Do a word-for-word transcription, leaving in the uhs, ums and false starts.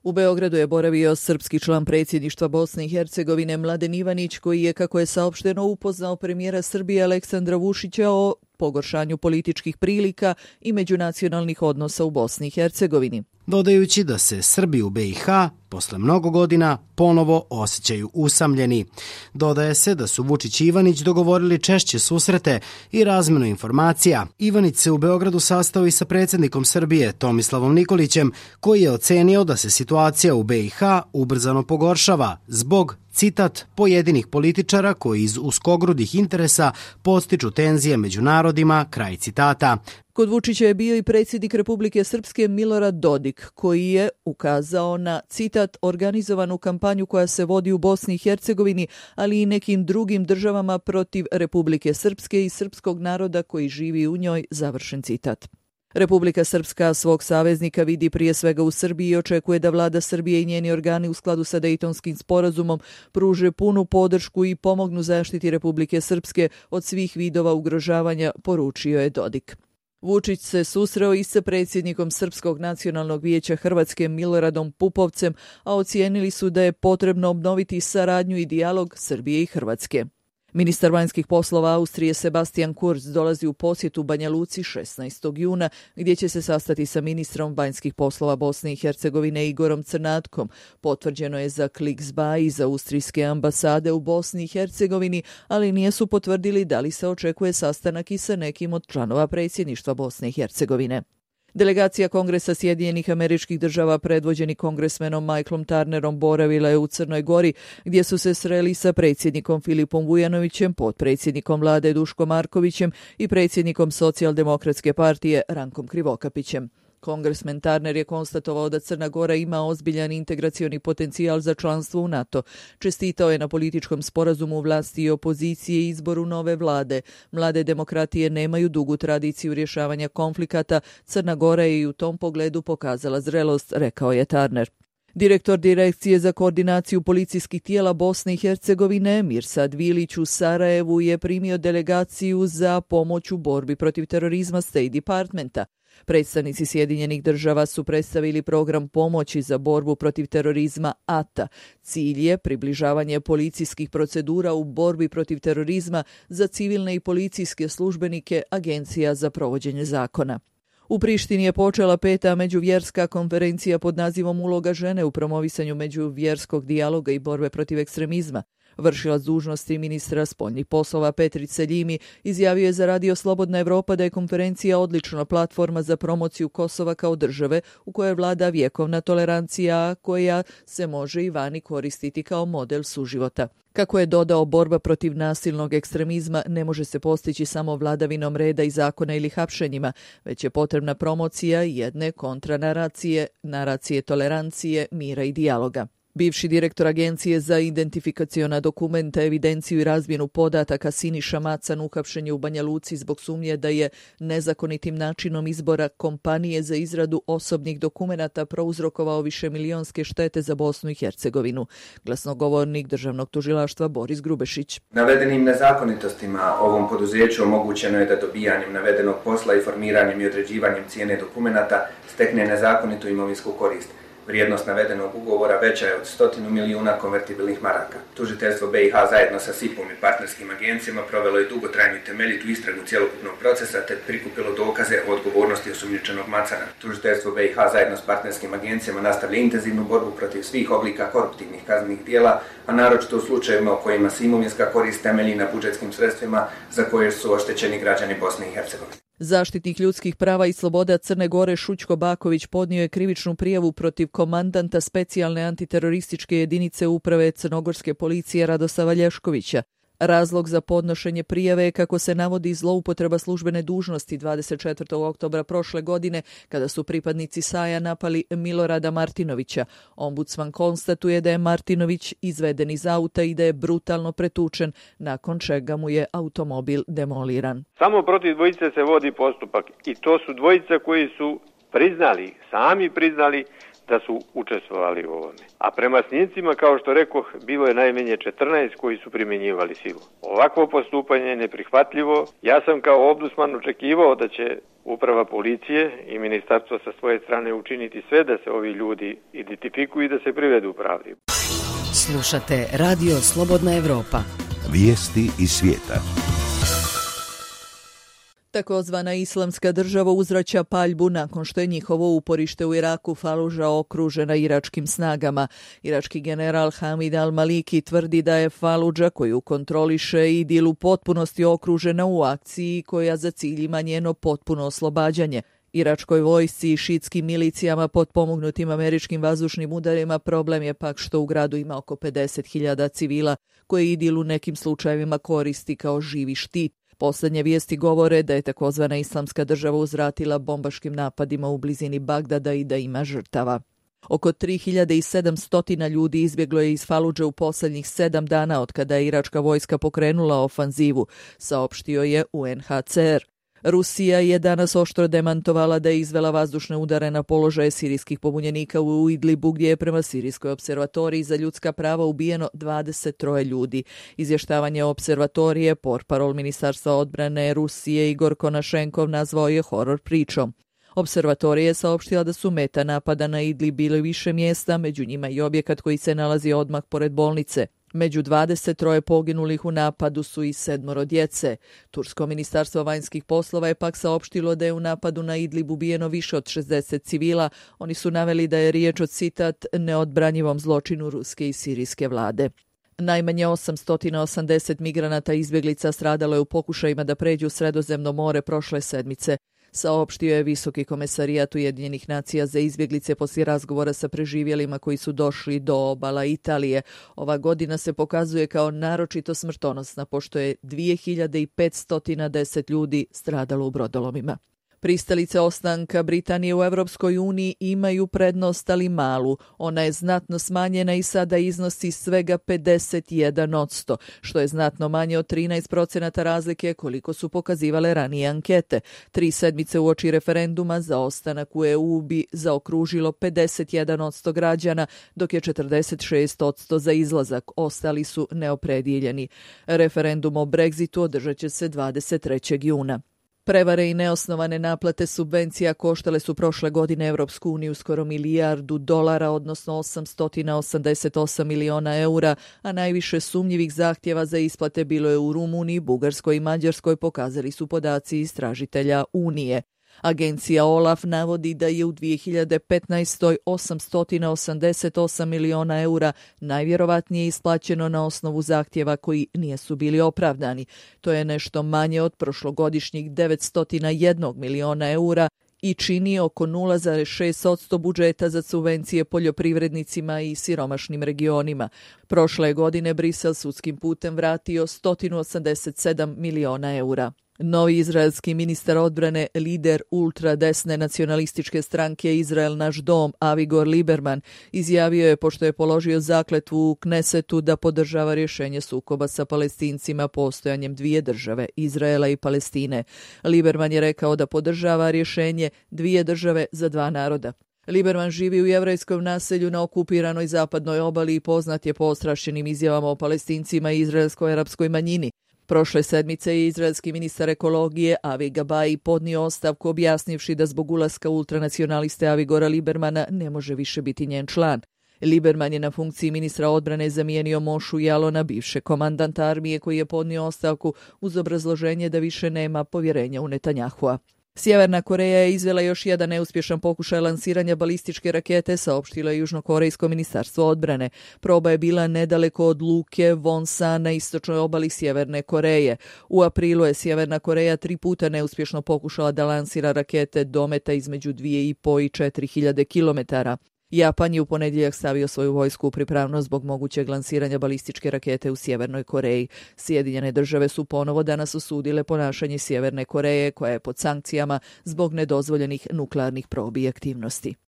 U Beogradu je boravio srpski član predsjedništva Bosne i Hercegovine Mladen Ivanić, koji je, kako je saopšteno, upoznao premijera Srbije Aleksandra Vučića o pogoršanju političkih prilika i međunacionalnih odnosa u Bosni i Hercegovini. Dodajući da se Srbi u be i ha posle mnogo godina ponovo osjećaju usamljeni. Dodaje se da su Vučić i Ivanić dogovorili češće susrete i razmenu informacija. Ivanić se u Beogradu sastao i sa predsjednikom Srbije Tomislavom Nikolićem, koji je ocenio da se situacija u be i ha ubrzano pogoršava zbog, citat, pojedinih političara koji iz uskogrudih interesa podstiču tenzije među narodima, kraj citata. Kod Vučića je bio i predsjednik Republike Srpske Milorad Dodik, koji je ukazao na, citat, organizovanu kampanju koja se vodi u Bosni i Hercegovini, ali i nekim drugim državama protiv Republike Srpske i srpskog naroda koji živi u njoj, završen citat. Republika Srpska svog saveznika vidi prije svega u Srbiji i očekuje da vlada Srbije i njeni organi u skladu sa Dejtonskim sporazumom pruže punu podršku i pomognu zaštiti Republike Srpske od svih vidova ugrožavanja, poručio je Dodik. Vučić se susreo i sa predsjednikom Srpskog nacionalnog vijeća Hrvatske Miloradom Pupovcem, a ocijenili su da je potrebno obnoviti saradnju i dijalog Srbije i Hrvatske. Ministar vanjskih poslova Austrije Sebastian Kurz dolazi u posjetu Banja Luci šesnaestog juna, gdje će se sastati sa ministrom vanjskih poslova Bosne i Hercegovine Igorom Crnatkom. Potvrđeno je za Kliksba i za austrijske ambasade u Bosni i Hercegovini, ali nisu potvrdili da li se očekuje sastanak i sa nekim od članova predsjedništva Bosne i Hercegovine. Delegacija Kongresa Sjedinjenih Američkih Država predvođeni kongresmenom Michaelom Turnerom boravila je u Crnoj Gori, gdje su se sreli sa predsjednikom Filipom Vujanovićem, potpredsjednikom vlade Duškom Markovićem i predsjednikom Socijaldemokratske partije Rankom Krivokapićem. Kongresmen Turner je konstatovao da Crna Gora ima ozbiljan integracioni potencijal za članstvo u NATO. Čestitao je na političkom sporazumu vlasti i opozicije i izboru nove vlade. Mlade demokratije nemaju dugu tradiciju rješavanja konflikata. Crna Gora je i u tom pogledu pokazala zrelost, rekao je Turner. Direktor Direkcije za koordinaciju policijskih tijela Bosne i Hercegovine Mirsad Vilić u Sarajevu je primio delegaciju za pomoć u borbi protiv terorizma State Departmenta. Predstavnici Sjedinjenih Država su predstavili program pomoći za borbu protiv terorizma A T A. Cilj je približavanje policijskih procedura u borbi protiv terorizma za civilne i policijske službenike Agencija za provođenje zakona. U Prištini je počela peta međuvjerska konferencija pod nazivom Uloga žene u promovisanju međuvjerskog dijaloga i borbe protiv ekstremizma. Vršilac dužnosti ministra spoljnih poslova Petri Seljimi izjavio je za Radio Slobodna Evropa da je konferencija odlična platforma za promociju Kosova kao države u kojoj vlada vjekovna tolerancija, koja se može i vani koristiti kao model suživota. Kako je dodao, borba protiv nasilnog ekstremizma ne može se postići samo vladavinom reda i zakona ili hapšenjima, već je potrebna promocija jedne kontranaracije, naracije tolerancije, mira i dijaloga. Bivši direktor Agencije za identifikaciona dokumenta, evidenciju i razmjenu podataka Siniša Macan uhapšen je u Banja Luci zbog sumnje da je nezakonitim načinom izbora kompanije za izradu osobnih dokumenata prouzrokovao višemilionske štete za Bosnu i Hercegovinu. Glasnogovornik državnog tužilaštva Boris Grubešić. Navedenim nezakonitostima ovom poduzeću omogućeno je da dobijanjem navedenog posla i formiranjem i određivanjem cijene dokumenata stekne nezakonitu imovinsku korist. Vrijednost navedenog ugovora veća je od stotinu milijuna konvertibilnih maraka. Tužiteljstvo be i ha zajedno sa S I P-om i partnerskim agencijama provelo je dugotrajnu i temeljitu istragu cjelokupnog procesa te prikupilo dokaze o odgovornosti osumnjičenog Macana. Tužiteljstvo be i ha zajedno s partnerskim agencijama nastavlja intenzivnu borbu protiv svih oblika koruptivnih kaznenih djela, a naročito u slučajevima u kojima se imovinska korist temelji na budžetskim sredstvima za koje su oštećeni građani Bosne i Hercegovine. Zaštitnik ljudskih prava i sloboda Crne Gore Šućko Baković podnio je krivičnu prijavu protiv komandanta specijalne antiterorističke jedinice uprave crnogorske policije Radosava Lješkovića. Razlog za podnošenje prijave je, kako se navodi, zloupotreba službene dužnosti dvadeset četvrtog oktobra prošle godine, kada su pripadnici S A J-a napali Milorada Martinovića. Ombudsman konstatuje da je Martinović izveden iz auta i da je brutalno pretučen, nakon čega mu je automobil demoliran. Samo protiv dvojice se vodi postupak i to su dvojica koji su priznali, sami priznali da su učestvovali u ovome. A prema snimcima, kao što rekoh, bilo je najmanje četrnaest koji su primjenjivali silu. Ovakvo postupanje je neprihvatljivo. Ja sam kao ombudsman očekivao da će uprava policije i ministarstvo sa svoje strane učiniti sve da se ovi ljudi identifikuju i da se privedu pravdi. Slušate Radio Slobodna Evropa. Vijesti iz svijeta. Takozvana islamska država uzvraća paljbu nakon što je njihovo uporište u Iraku Faluža okružena iračkim snagama. Irački general Hamid al-Maliki tvrdi da je Faludža, koju kontroliše Idil, u potpunosti okružena u akciji koja za cilj ima njeno potpuno oslobađanje. Iračkoj vojsci i šiitskim milicijama potpomognutim američkim vazdušnim udarima problem je pak što u gradu ima oko pedeset hiljada civila koje Idil u nekim slučajevima koristi kao živi štit. Posljednje vijesti govore da je takozvana islamska država uzvratila bombaškim napadima u blizini Bagdada i da ima žrtava. Oko tri hiljade sedamsto ljudi izbjeglo je iz Faludže u posljednjih sedam dana od kada je iračka vojska pokrenula ofanzivu, saopštio je U N H C R. Rusija je danas oštro demantovala da je izvela vazdušne udare na položaje sirijskih pobunjenika u Idlibu, gdje je prema Sirijskoj observatoriji za ljudska prava ubijeno dvadeset tri ljudi. Izvještavanje observatorije portparol Ministarstva odbrane Rusije Igor Konašenkov nazvao je horor pričom. Observatorija je saopštila da su meta napada na Idlib bili više mjesta, među njima i objekat koji se nalazi odmah pored bolnice. Među dvadeset tri poginulih u napadu su i sedmoro djece. Tursko ministarstvo vanjskih poslova je pak saopštilo da je u napadu na Idlib ubijeno više od šezdeset civila. Oni su naveli da je riječ o, citat, neodbranjivom zločinu ruske i sirijske vlade. Najmanje osamsto osamdeset migranata i izbjeglica stradalo je u pokušajima da pređu Sredozemno more prošle sedmice. Saopštio je Visoki komesarijat Ujedinjenih nacija za izbjeglice poslije razgovora sa preživjelima koji su došli do obala Italije. Ova godina se pokazuje kao naročito smrtonosna, pošto je dvije hiljade petsto deset ljudi stradalo u brodolomima. Pristalice ostanka Britanije u Europskoj uniji imaju prednost, ali malu. Ona je znatno smanjena i sada iznosi svega pedeset jedan posto, što je znatno manje od trinaest procenata razlike koliko su pokazivale ranije ankete. Tri sedmice uoči referenduma za ostanak u E U bi zaokružilo pedeset jedan posto građana, dok je četrdeset šest posto za izlazak. Ostali su neopredijeljeni. Referendum o Brexitu održat će se dvadeset trećeg juna. Prevare i neosnovane naplate subvencija koštale su prošle godine Evropsku uniju skoro milijardu dolara, odnosno osamsto osamdeset osam miliona eura, a najviše sumnjivih zahtjeva za isplate bilo je u Rumuniji, Bugarskoj i Mađarskoj, pokazali su podaci istražitelja Unije. Agencija OLAF navodi da je u dvije hiljade petnaestoj. osamsto osamdeset osam miliona eura najvjerovatnije isplaćeno na osnovu zahtjeva koji nisu bili opravdani. To je nešto manje od prošlogodišnjih devetsto jedan miliona eura i čini oko nula zarez šest posto budžeta za subvencije poljoprivrednicima i siromašnim regionima. Prošle godine Brisel sudskim putem vratio sto osamdeset sedam miliona eura. Novi izraelski ministar odbrane, lider ultradesne nacionalističke stranke Izrael naš dom, Avigor Liberman, izjavio je, pošto je položio zakletvu u Knesetu, da podržava rješenje sukoba sa Palestincima postojanjem dvije države, Izraela i Palestine. Liberman je rekao da podržava rješenje dvije države za dva naroda. Liberman živi u jevrejskom naselju na okupiranoj zapadnoj obali i poznat je po ostrašćenim izjavama o Palestincima i izraelsko-arapskoj manjini. Prošle sedmice je izraelski ministar ekologije Avi Gabai podnio ostavku objasnivši da zbog ulaska ultranacionaliste Avigora Libermana ne može više biti njen član. Liberman je na funkciji ministra odbrane zamijenio Mošu Jalona, bivše komandanta armije, koji je podnio ostavku uz obrazloženje da više nema povjerenja u Netanjahua. Sjeverna Koreja je izvela još jedan neuspješan pokušaj lansiranja balističke rakete, saopštilo je Južnokorejsko ministarstvo odbrane. Proba je bila nedaleko od luke Wonsan na istočnoj obali Sjeverne Koreje. U aprilu je Sjeverna Koreja tri puta neuspješno pokušala da lansira rakete dometa između dvije i po i četiri hiljade kilometara. Japan je u ponedjeljak stavio svoju vojsku u pripravnost zbog mogućeg lansiranja balističke rakete u Sjevernoj Koreji. Sjedinjene države su ponovo danas osudile ponašanje Sjeverne Koreje, koja je pod sankcijama zbog nedozvoljenih nuklearnih probi i aktivnosti.